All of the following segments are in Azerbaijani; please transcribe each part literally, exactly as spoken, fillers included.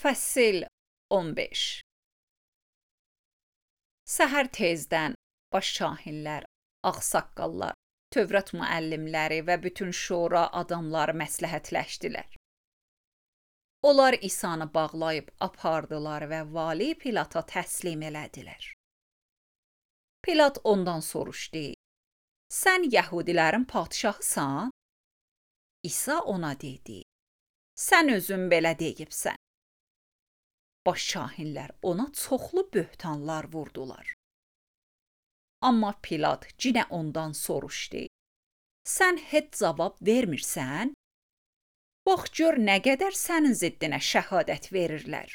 Fəsil on beş. Səhər tezdən baş kahinlər, ağsaqqallar, Tövrat müəllimləri və bütün şura adamları məsləhətləşdilər. Onlar İsanı bağlayıb apardılar və vali Pilata təslim elədilər. Pilat ondan soruşdu: "Sən Yəhudilərin padşahısan?" İsa ona dedi: "Sən özün belə deyibsən." Baş kahinlər ona çoxlu böhtanlar vurdular. Amma Pilat yenə ondan soruşdu: "Sən heç cavab vermirsən? Bax gör nə qədər sənin ziddinə şəhadət verirlər."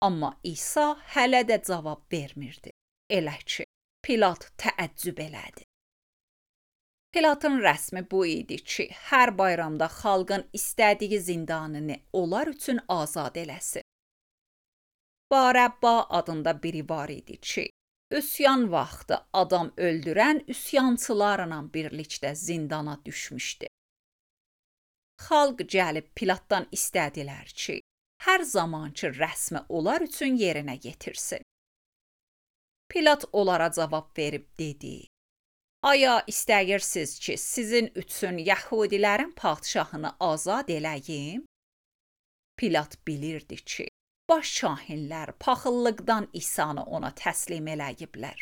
Amma İsa hələ də cavab vermirdi. Elə ki, Pilat təəccüb elədi. Pilatın rəsmi bu idi ki, hər bayramda xalqın istədiyi zindanını onlar üçün azad eləsin. Barəbba adında biri var idi ki, üsyan vaxtı adam öldürən üsyançılarla birlikdə zindana düşmüşdü. Xalq gəlib Pilatdan istədilər ki, hər zamankı rəsmi onlar üçün yerinə yetirsin. Pilat onlara cavab verib dedi: "Aya istəyirsiniz ki, sizin üçün Yəhudilərin padşahını azad eləyim?" Pilat bilirdi ki, baş kahinlər paxıllıqdan İsanı ona təslim eləyiblər.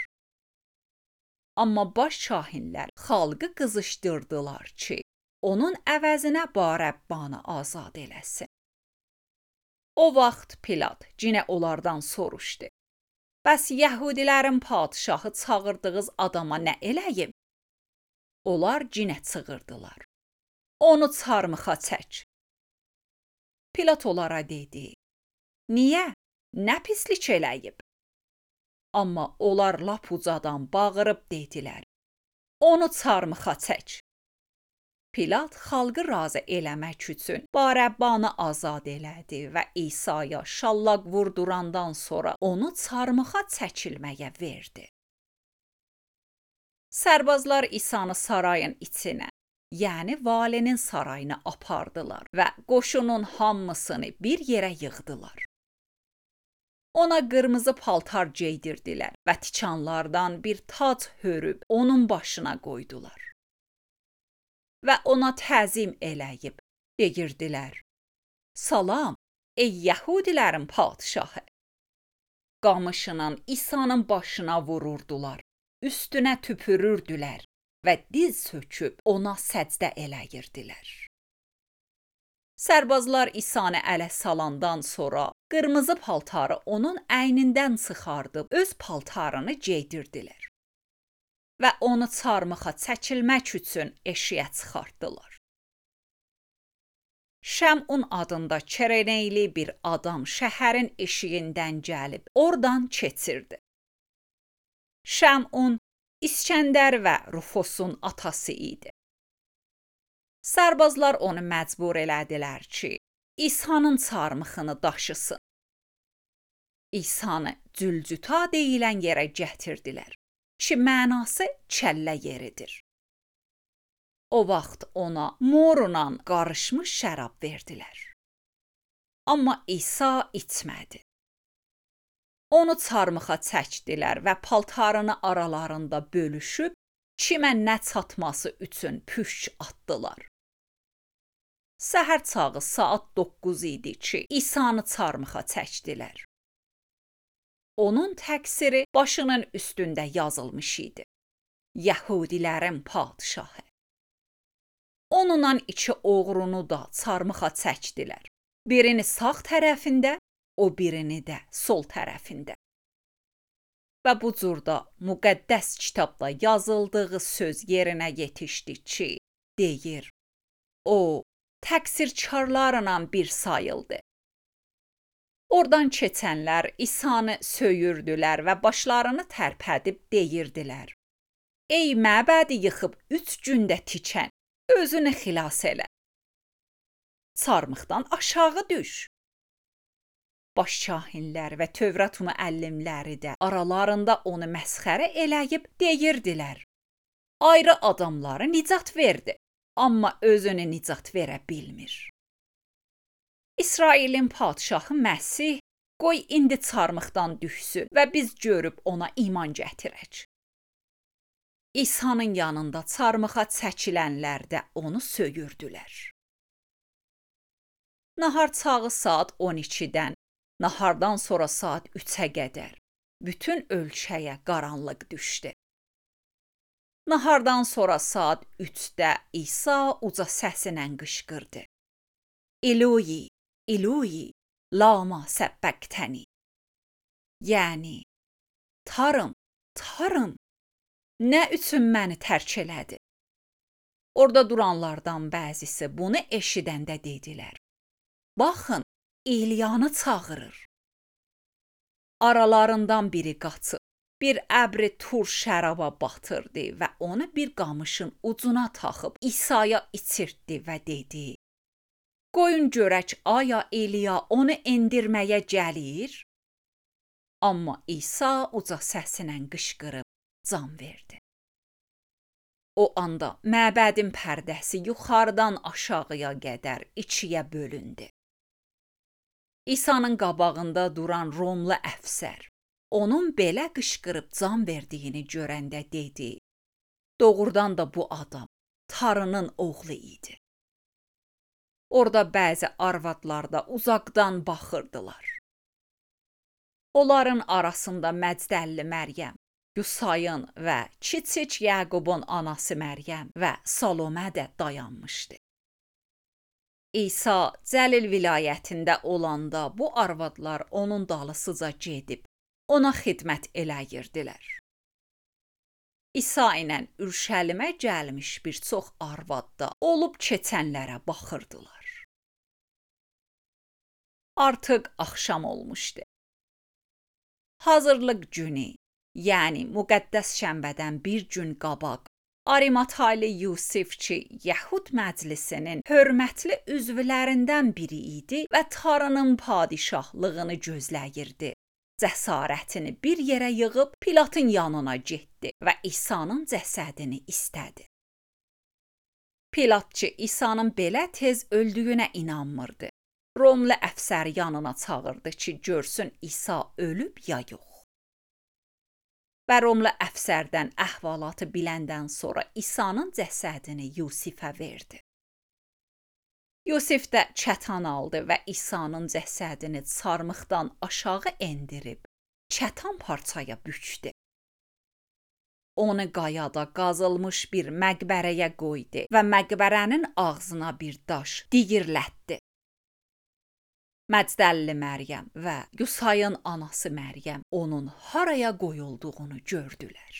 Amma baş kahinlər xalqı qızışdırdılar ki, onun əvəzinə Barəbbanı azad eləsin. O vaxt Pilat yenə onlardan soruşdu: "Bəs Yəhudilərin padşahı çağırdığınız adama nə eləyim?" Onlar yenə çığırdılar: "Onu çarmıxa çək." Pilat onlara dedi: "Niyə? Nə pislik eləyib?" Amma onlar lap ucadan bağırıb dedilər: "Onu çarmıxa çək." Pilat xalqı razı eləmək üçün Barəbbanı azad elədi və İsa'ya şallaq vurdurandan sonra onu çarmıxa çəkilməyə verdi. Sərbazlar İsanı sarayın içinə, yəni valinin sarayına apardılar və qoşunun hamısını bir yerə yığdılar. Ona qırmızı paltar geydirdilər və tikanlardan bir tac hörüb onun başına qoydular. Və ona təzim eləyib deyirdilər: "Salam, ey Yəhudilərin padşahı." Qamışının İsa'nın başına vururdular, üstünə tüpürürdülər və diz söküb ona səcdə eləyirdilər. Sərbazlar İsanı ələ salandan sonra qırmızı paltarı onun əynindən çıxardıb öz paltarını geydirdilər və onu çarmıxa çəkilmək üçün eşiyə çıxartdılar. Şəmun adında Kireneyli bir adam şəhərin eşiyindən gəlib oradan keçirdi. Şəmun İskəndər və Rufosun atası idi. Sərbazlar onu məcbur elədilər ki, İsa'nın çarmıxını daşısın. İsa'nı Cülcüta deyilən yerə gətirdilər ki, mənası kəllə yeridir. O vaxt ona morla qarışmış şərab verdilər. Amma İsa içmədi. Onu çarmıxa çəkdilər və paltarını aralarında bölüşüb kimə nə çatması üçün püşk atdılar. Səhər çağı saat doqquz idi ki, İsa'nı çarmıxa çəkdilər. Onun təqsiri başının üstündə yazılmış idi: Yəhudilərin padşahı. Onunla iki oğrunu da çarmıxa çəkdilər. Birini sağ tərəfində, o birini də sol tərəfində. Və bu cürdə müqəddəs kitabda yazıldığı söz yerinə yetişdi ki, deyir: "O, təqsirkarlarla bir sayıldı." Oradan keçənlər İsanı söyürdülər və başlarını tərpədib deyirdilər: "Ey məbədi yıxıb üç gündə tikən, özünü xilas elə. Çarmıxdan aşağı düş." Baş kahinlər və Tövrat müəllimləri də aralarında onu məsxərə eləyib deyirdilər: "Ayrı adamları nicat verdi, amma özünü nicat verə bilmir." İsrailin padşahı Məsih, qoy indi çarmıxdan düşsün və biz görüb ona iman gətirək. İsa'nın yanında çarmıxa çəkilənlər də onu söyürdülər. Nahar çağı saat on ikidən, nahardan sonra saat üçə qədər bütün ölkəyə qaranlıq düşdü. Nahardan sonra saat üçdə İsa uca səsilə qışqırdı. Eloi, Eloi, lama səbbəqtəni. Yəni, Tarım, Tarım, nə üçün məni tərk elədi? Orada duranlardan bəzisi bunu eşidəndə dedilər. Baxın, İlyanı çağırır. Aralarından biri qaçıb, bir əbri tur şəraba batırdı və onu bir qamışın ucuna taxıb İsa'ya içirtdi və dedi. Qoyun görək, aya İlya onu endirməyə gəlir? Amma İsa uca səsinə qışqırıb can verdi. O anda məbədin pərdəsi yuxarıdan aşağıya qədər ikiyə bölündü. İsa'nın qabağında duran Romlu əfsər onun belə qışqırıb can verdiyini görəndə dedi. Doğrudan da bu adam Tarının oğlu idi. Orada bəzi arvadlar da uzaqdan baxırdılar. Onların arasında Məcdəlli Məryəm, Yusayın və kiçik Yaqubun anası Məryəm və Salomə də dayanmışdı. İsa Cəlil vilayətində olanda bu arvadlar onun dalısıca gedib ona xidmət eləyirdilər. İsa ilə Ürşəlimə gəlmiş bir çox arvad da olub keçənlərə baxırdılar. Artıq axşam olmuşdu. Hazırlıq günü, yəni müqəddəs şənbədən bir gün qabaq, Arimataylı Yusif ki, Yəhud məclisinin hörmətli üzvlərindən biri idi və Tarının padişahlığını gözləyirdi. Cəsarətini bir yerə yığıb Pilatın yanına getdi və İsa'nın cəsədini istədi. Pilat ki, İsa'nın belə tez öldüyünə inanmırdı. Romlu əfsər yanına çağırdı ki, görsün İsa ölüb ya yox. Və Romlu əfsərdən əhvalatı biləndən sonra İsa'nın cəsədini Yusifə verdi. Yusif də kətan aldı və İsa'nın cəsədini çarmıxdan aşağı endirib, kətan parçaya bükdü. Onu qayada qazılmış bir məqbərəyə qoydu və məqbərənin ağzına bir daş digirlətdi. Məcdəlli Məryəm və Yusayın anası Məryəm onun haraya qoyulduğunu gördülər.